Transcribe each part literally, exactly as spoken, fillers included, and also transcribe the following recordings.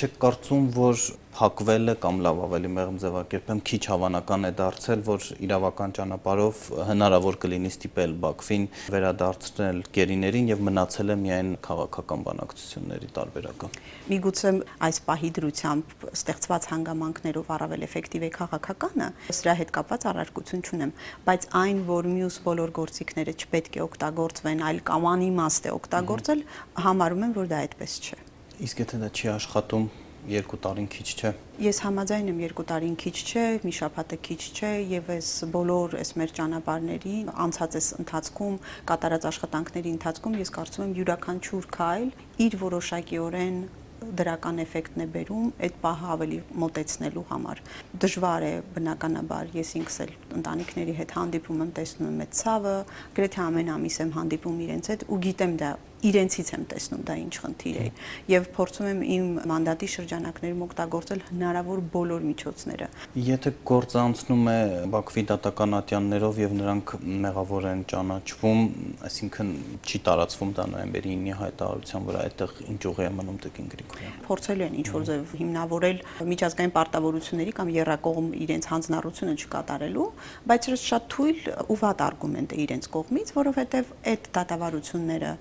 Չեք կարծում, որ փակվելը կամ լավ ավելի մեղմ ձևակերպեմ քիչ հավանական է դարձել, որ իրավական ճանապարհով հնարավոր կլինի ստիպել Բաքվին վերադարձնել գերիներին եւ մնացել է միայն քաղաքական բանակցությունների տարբերակը։ Միգուցե այս պահի դրությամբ ստեղծված հանգամանքներով առավել էֆեկտիվ է քաղաքականը, սրա հետ կապված առարկություն չունեմ, բայց այն, որ մյուս բոլոր գործիքները չպետք է օգտագործվեն, այլ կամ անիմաստ է օգտագործել, համարում եմ, որ դա այդպես չէ։ Իսկ եթե դա չի աշխատում, երկու տարին քիչ չէ։ Ես համաձայն եմ, երկու տարին քիչ չէ, մի շաբաթը քիչ չէ եւ այս բոլոր այս մեր ճանապարհների անցած այս ընթացքում կատարած աշխատանքների ընթացքում ես կարծում եմ յուրաքանչյուր քայլ իր որոշակիորեն դրական էֆեկտն է բերում այդ պահը ավելի մոտեցնելու համար։ Դժվար է բնականաբար, ես ինքս էլ ընտանիքների հետ հանդիպում եմ, տեսնում եմ այդ ցավը, գրեթե ամեն ամիս եմ հանդիպում իրենց հետ ու գիտեմ դա իրենցից եմ տեսնում դա ինչ խնդիր է եւ փորձում եմ իմ մանդատի շրջանակներում օգտագործել հնարավոր բոլոր միջոցները։ Եթե գործը անցնում է Բաքվի դատական ատյաններով եւ նրանք մեղավոր են ճանաչվում, այսինքն չի տարածվում դա նոյեմբերի ինի հայտարարության վրա, այդտեղ ինչ ուղի է մնում Տիկին Գրիգորյան։ Փորձելու են ինչ որ ձև հիմնավորել միջազգային պարտավորությունների կամ եռակողմ իրենց հանձնառությունը չկատարելու, բայց շատ թույլ ու վատ արգումենտ է իրենց կողմից, որովհետեւ այդ դատավարությունները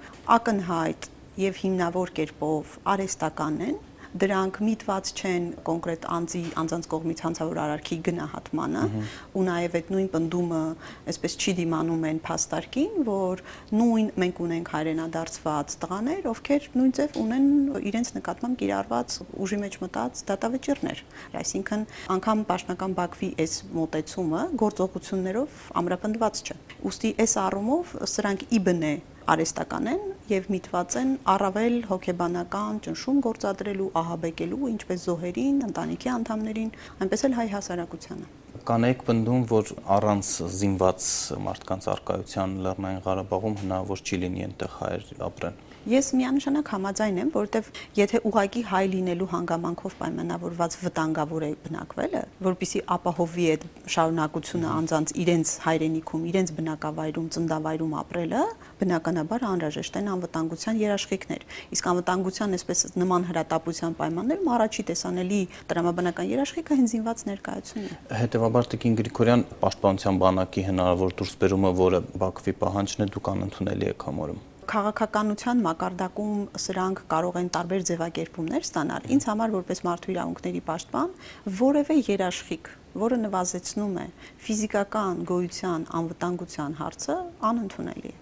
ակնհայտ եւ հիմնավոր կերպով արհեստական են, դրանք միտված չեն կոնկրետ անձի անձանց կողմից հանցավոր արարքի գնահատմանը ու նաեւ այդ նույն պնդումը այսպես չի դիմանում են փաստարկին, որ նույն մենք ունենք հայրենադարձված տղաներ, ովքեր նույն ձև ունեն իրենց նկատմամբ կիրառված ուժի մեջ մտած դատավճիռներ։ Այսինքն անգամ պաշտոնական Բաքվի այս մոտեցումը գործողություններով ամրապնդված չէ։ Ուստի այս առումով սրանք ի բնե արհեստական են եւ միտված են առավել հոգեբանական ճնշում գործադրելու, ահաբեկելու ինչպես զոհերին, ընտանիքի անդամներին, այնպես էլ հայ հասարակությանը։ Կանեք պնդում, որ առանց զինված մարդկանց առկայության Լեռնային Ղարաբաղում հնարավոր չի լինի այնտեղ հայեր ապրեն։ Ես միանշանակ համաձայն եմ, որովհետև եթե ուղակի հայ լինելու հանգամանքով պայմանավորված վտանգավոր է բնակվելը, որպեսզի ապահովի այդ շարունակությունը անձանց իրենց հայրենիքում, իրենց բնակավայրում, ծննդավայրում ապրելը, բնականաբար անհրաժեշտ են անվտանգության երաշխիքներ։ Իսկ անվտանգության այսպես նման հրատապության պայմաններում առաջի տեսանելի տրամաբանական երաշխիքը հենց զինված ներկայությունն է։ Հետևաբար Տիկին Գրիգորյան, Պաշտպանության բանակի հնարավոր դուրսբերումը, որը Բաքվի պահանջն է, դուք անընդունելի եք համարում։ Քաղաքականության մակարդակում սրանք կարող են տարբեր ձևակերպումներ ստանալ։ Ինձ համար որպես մարդու իրավունքների պաշտպան որևէ երաշխիք, որը նվազեցնում է ֆիզիկական գոյության անվտանգության հարցը, անընդունելի է։